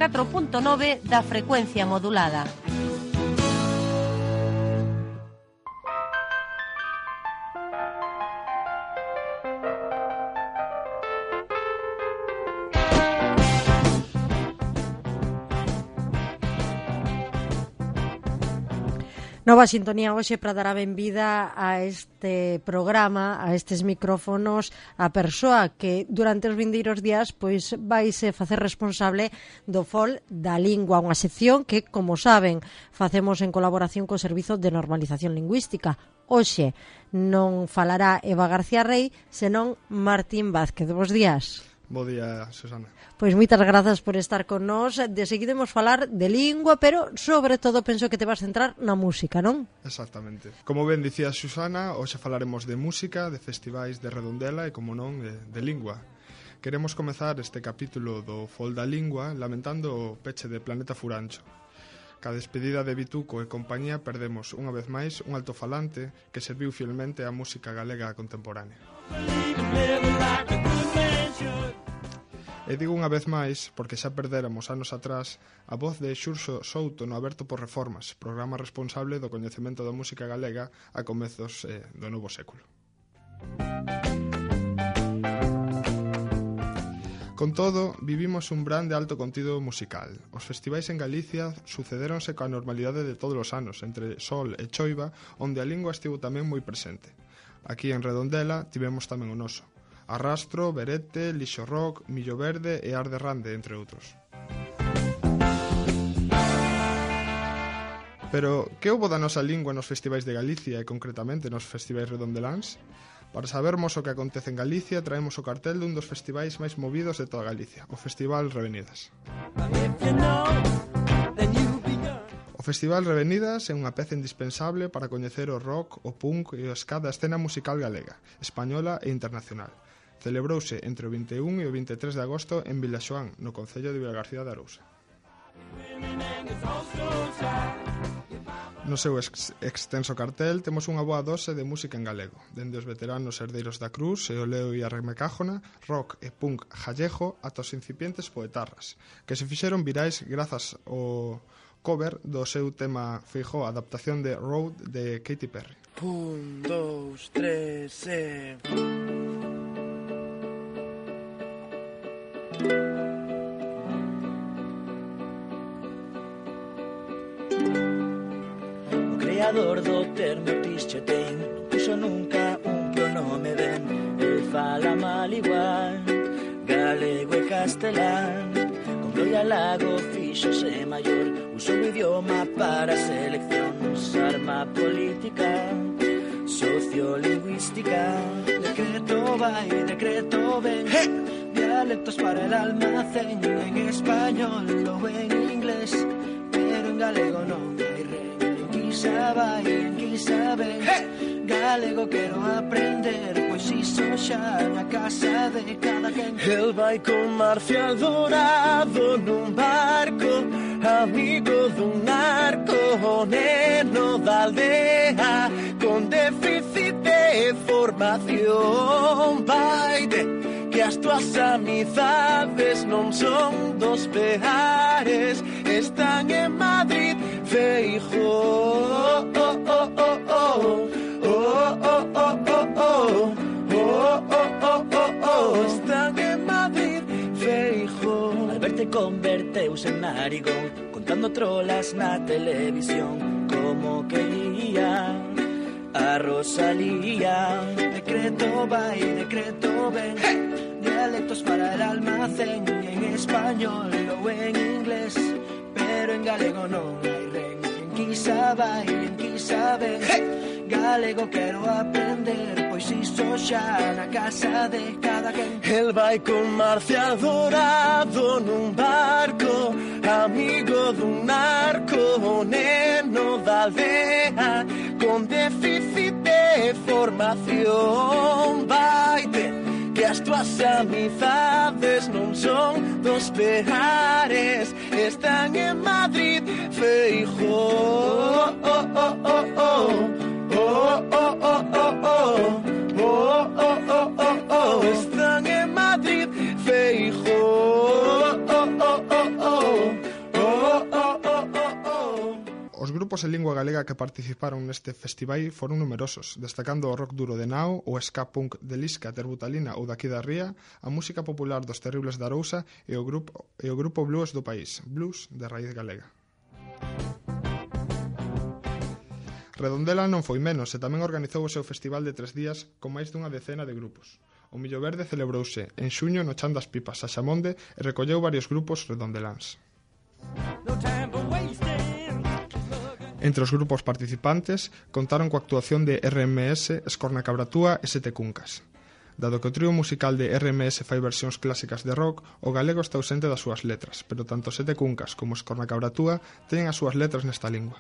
4.9 da frecuencia modulada. Nova sintonía hoxe para dar a benvida a este programa, a estes micrófonos, a persoa que durante os vindeiros días pois vaise facer responsable do FOL da Lingua, unha sección que, como saben, facemos en colaboración co Servizo de Normalización Lingüística. Hoxe non falará Eva García Rey, senón Martín Vázquez. Bos días. Bo día, Susana. Pois moitas grazas por estar con nós. De seguida imos falar de lingua, pero sobre todo penso que te vas centrar na música, non? Exactamente. Como ben dicía Susana, hoxe falaremos de música, de festivais de Redondela e, como non, de lingua. Queremos comezar este capítulo do FOL da Lingua lamentando o peche de Planeta Furancho. Ca despedida de Bituco e compañía perdemos unha vez máis un altofalante que serviu fielmente á música galega contemporánea. E digo unha vez máis porque xa perdéramos anos atrás a voz de Xurxo Souto no Aberto por Reformas, programa responsable do coñecemento da música galega a comezos do novo século. Con todo, vivimos un brand de alto contido musical. Os festivais en Galicia sucedéronse coa normalidade de todos os anos, entre sol e choiva, onde a lingua estivo tamén moi presente. Aquí en Redondela tivemos tamén o noso. Arrastro, Berete, Lixo Rock, Millo Verde e Arde Rande, entre outros. Pero, que houbo da nosa lingua nos festivais de Galicia e concretamente nos festivais redondeláns? Para sabermos o que acontece en Galicia, traemos o cartel dun dos festivais máis movidos de toda Galicia, o Festival Revenidas. O Festival Revenidas é unha peza indispensable para coñecer o rock, o punk e o ska da escena musical galega, española e internacional. Celebrouse entre o 21 e o 23 de agosto en Vilaxoán, no concello de Vilagarcía de Arousa. No seu extenso cartel temos unha boa dose de música en galego, dende os veteranos Herdeiros da Cruz e o Leo e a Remecájona, rock e punk gallego ata os incipientes poetarras, que se fixeron virais grazas ao cover do seu tema Feijóo, adaptación de Road de Katy Perry. 1, 2, 3, O creador do termo pische ten, non puxo nunca un pronome ben. El fala mal igual, galego e castelán. Con Gloria Lago fíxose maior, usou o idioma para seleccións, arma política, sociolingüística. Decreto vai, decreto ven, dialectos para el almacén, en español ou en inglés, pero en galego non hai ren. En quizá vai, en quizá ven, galego quero aprender, pois iso xa na casa de cada quen. El vai con Marcial Dorado nun barco, amigo dun narco, o neno da aldea, con déficit de formación. Vaide, que as tuas amizades non son dos peares, están en Madrid, Feijóo, están en Madrid, Feijóo. Al verte converteuse en narigón, contando trolas na televisión, como que lía a Rosalía. Decreto vai, decreto ven, dialectos para el almacén, en español ou en inglés, pero en galego non hai ren. En quizá vai, en quizá ven, galego quero aprender, pois iso xa na casa de cada quen. El vai con Marcial Dorado nun barco, amigo dun narco, o neno da aldea, con déficit de formación. Vaite, que as tuas amizades non son dos peares, están en Madrid, Feijóo, están en Madrid, Feijóo, Os grupos en lingua galega que participaron neste festival foron numerosos, destacando o rock duro de Nao, o ska punk de Lisca, Terbutalina ou daqui da Ría, a música popular dos Terribles da Arousa e o grupo blues do país, blues de raíz galega. Redondela non foi menos e tamén organizou o seu festival de 3 días con máis dunha decena de grupos. O Millo Verde celebrouse en xuño no Chan das Pipas, a Xamonde, e recolleu varios grupos redondeláns. Entre os grupos participantes contaron coa actuación de RMS, Escorna Cabratúa e Sete Cuncas. Dado que o trío musical de RMS fai versións clásicas de rock, o galego está ausente das súas letras, pero tanto Sete Cuncas como Escorna Cabratúa teñen as súas letras nesta lingua.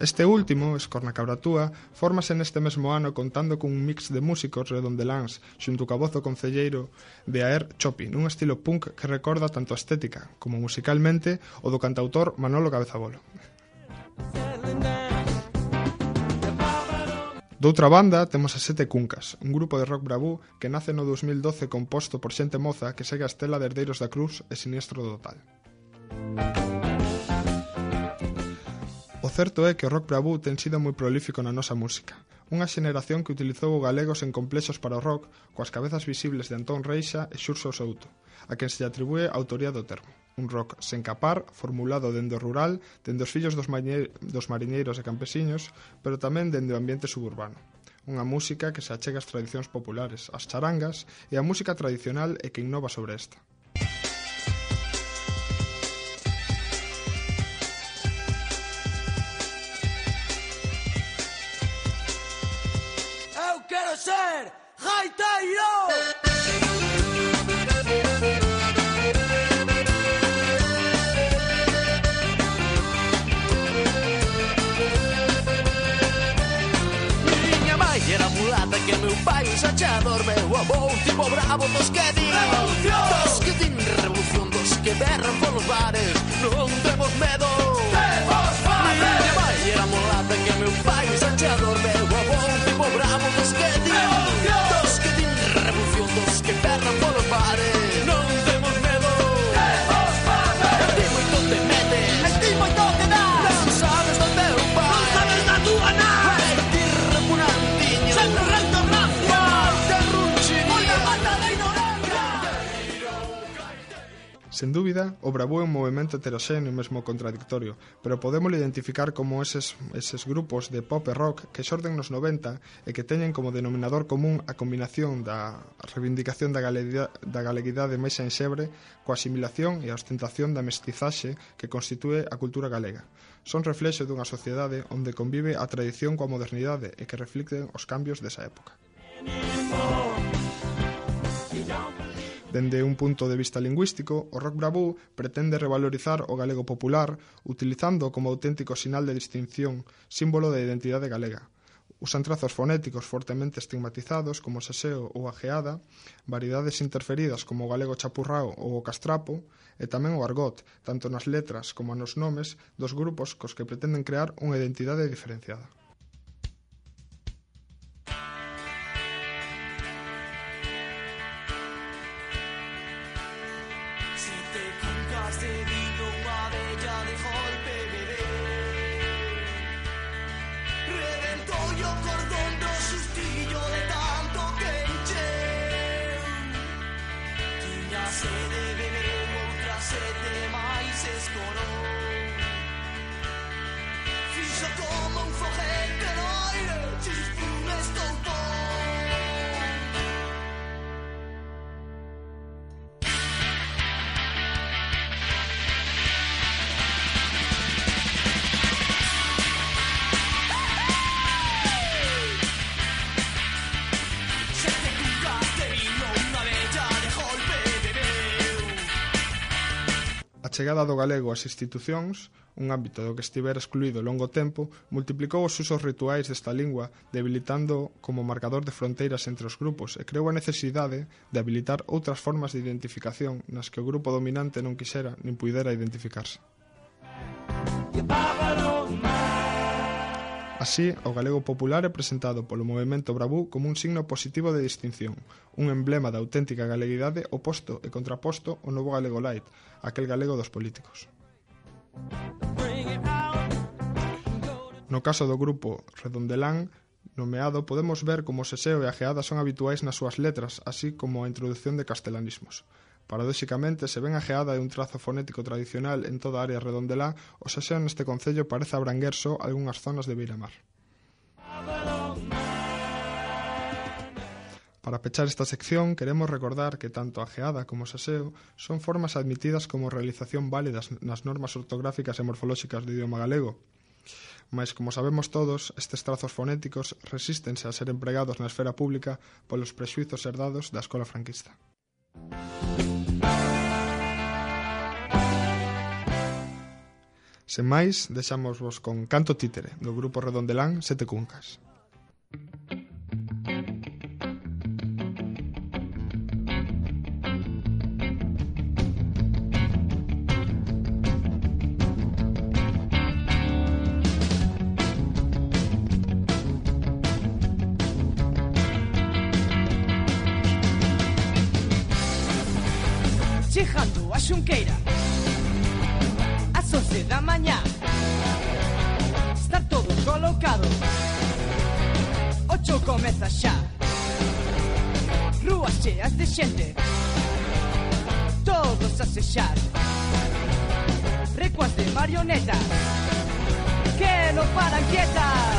Este último, Escorna Cabratúa, fórmase neste mesmo ano contando cun mix de músicos redondeláns xunto ca voz do concelleiro de Aer Chopi, nun estilo punk que recorda tanto a estética como musicalmente o do cantautor Manolo Cabezabolo. Doutra banda, temos a Sete Cuncas, un grupo de rock bravú que nace no 2012 composto por xente moza que segue a estela de Herdeiros da Cruz e Siniestro Total. O certo é que o rock bravú ten sido moi prolífico na nosa música. Unha xeneración que utilizou o galego sen complexos para o rock, coas cabezas visibles de Antón Reixa e Xurxo Souto, a quen se lle atribúe a autoría do termo. Un rock sen capar, formulado dende o rural, dende os fillos dos mariñeiros e campesiños, pero tamén dende o ambiente suburbano. Unha música que se achega ás tradicións populares, ás charangas, e a música tradicional e que innova sobre esta. Ser gaiteiro. Miña mãe era mulata que meu pai un sachador, meu avó un tipo bravo dos que din revolución, dos que berran polos bares, non temos medo. Miña mãe era mulata que meu pai un sachador, meu avó un tipo bravo dos que din revolución, dos que berran polos bares, non temos medo. Ti moito te metes, ti moito te das, non sabes do teu pai, non sabes da túa nai. Ti repugnantiño, sempre recto rancia, te runchiño, moita mata da ignorancia. Sen dúbida, o bravú é un movimento heteroxéneo e mesmo contradictorio, pero podémolo identificar como eses grupos de pop e rock que xorden nos 90 e que teñen como denominador común a combinación da reivindicación da galeguidade máis enxebre coa asimilación e a ostentación da mestizaxe que constitúe a cultura galega. Son reflexo dunha sociedade onde convive a tradición coa modernidade e que reflicten os cambios desa época. Dende un punto de vista lingüístico, o rock bravú pretende revalorizar o galego popular utilizando como auténtico sinal de distinción, símbolo de identidade galega. Usan trazos fonéticos fortemente estigmatizados como o seseo ou a geada, variedades interferidas como o galego chapurrao ou o castrapo, e tamén o argot, tanto nas letras como nos nomes dos grupos cos que pretenden crear unha identidade diferenciada. A chegada do galego ás institucións, un ámbito do que estivera excluído longo tempo, multiplicou os usos rituais desta lingua, debilitando como marcador de fronteiras entre os grupos e creou a necesidade de habilitar outras formas de identificación nas que o grupo dominante non quixera nin puidera identificarse. A Así, o galego popular é presentado polo movemento Bravú como un signo positivo de distinción, un emblema da auténtica galeguidade oposto e contraposto ao novo galego light, aquel galego dos políticos. No caso do grupo Redondelán nomeado, podemos ver como o seseo e a geada son habituais nas súas letras, así como a introdución de castelanismos. Paradóxicamente, se ben a geada é un trazo fonético tradicional en toda a área redondelá, o seseo neste concello parece abranguer só algunhas zonas de beiramar. Para pechar esta sección, queremos recordar que tanto a geada como o seseo son formas admitidas como realización válidas nas normas ortográficas e morfolóxicas do idioma galego. Mais, como sabemos todos, estes trazos fonéticos resístense a ser empregados na esfera pública polos prexuizos herdados da escola franquista. Sen máis, deixámosvos con Canto Títere, do grupo Redondelán Sete Cuncas. Chegando a Xunqueira ás 11 da mañá, está todo colocado, 8 comeza xa, rúas cheas de xente, todos a sexar, recuas de marionetas que non paran quietas.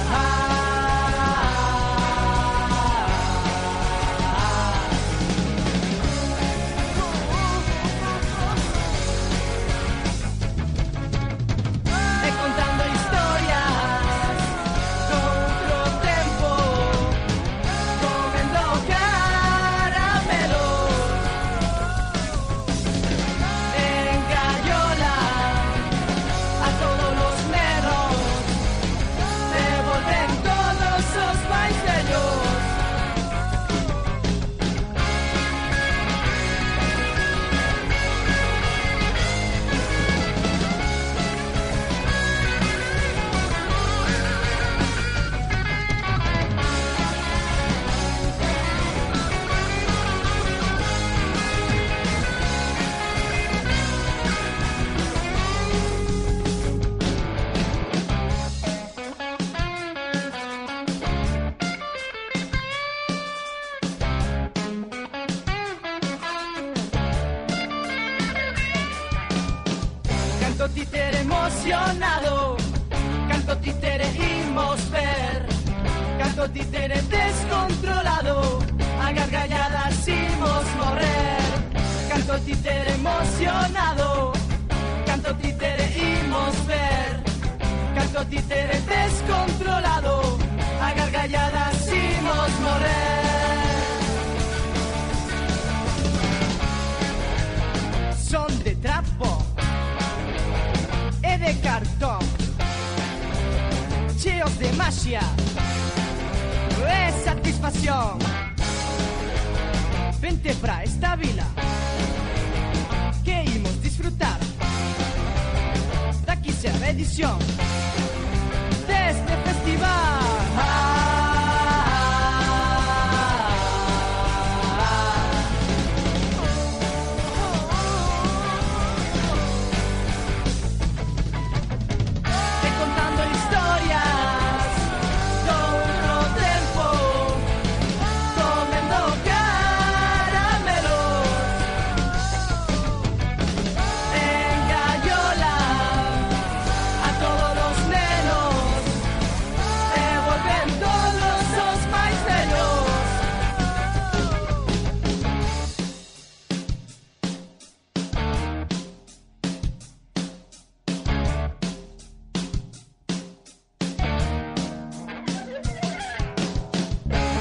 Canto títere emocionado, canto títere imos ver, canto títere descontrolado, a gargalladas imos morrer. Canto títere emocionado, canto títere imos ver, canto títere descontrolado, a gargalladas imos morrer. Son de trapo e de cartón, cheos de magia e satisfacción. Vente pra esta vila que imos disfrutar da 15ª edición deste festival.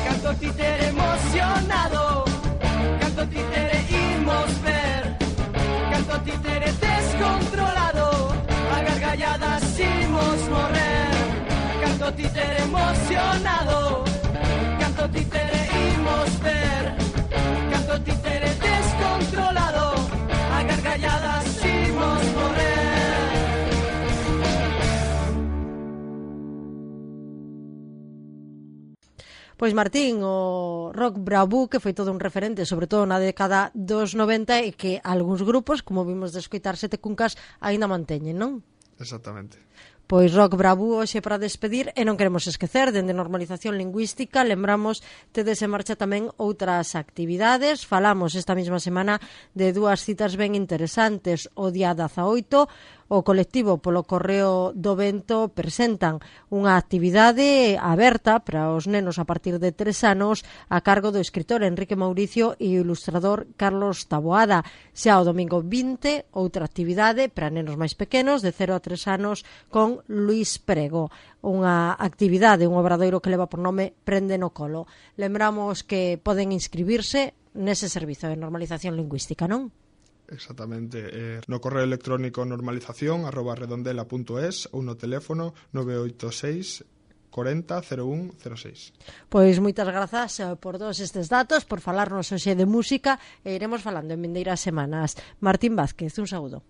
Canto títere emocionado, canto títere imos ver, canto títere descontrolado, a gargalladas imos morrer. Canto títere emocionado, canto títere imos ver, canto títere descontrolado, a gargalladas imos morrer. Pois Martín, o rock bravú que foi todo un referente, sobre todo na década dos 90 e que algúns grupos, como vimos de escoitar Sete Cuncas, aínda manteñen, non? Exactamente. Pois rock bravú hoxe para despedir e non queremos esquecer, dende normalización lingüística, lembramos, tedes en marcha tamén outras actividades. Falamos esta mesma semana de dúas citas ben interesantes. O día 18, o colectivo polo Correo do Vento presentan unha actividade aberta para os nenos a partir de 3 anos a cargo do escritor Enrique Mauricio e o ilustrador Carlos Taboada. Xa o domingo 20, outra actividade para nenos máis pequenos de 0 a 3 anos con Luís Prego, unha actividade, un obradoiro que leva por nome Prende no Colo. Lembramos que poden inscribirse nese servizo de normalización lingüística, non? Exactamente, no correo electrónico normalización@redondela.es ou no teléfono 986 40 01 06. Pois moitas grazas por todos estes datos, por falarnos hoxe de música e iremos falando en vindeiras semanas. Martín Vázquez, un saúdo.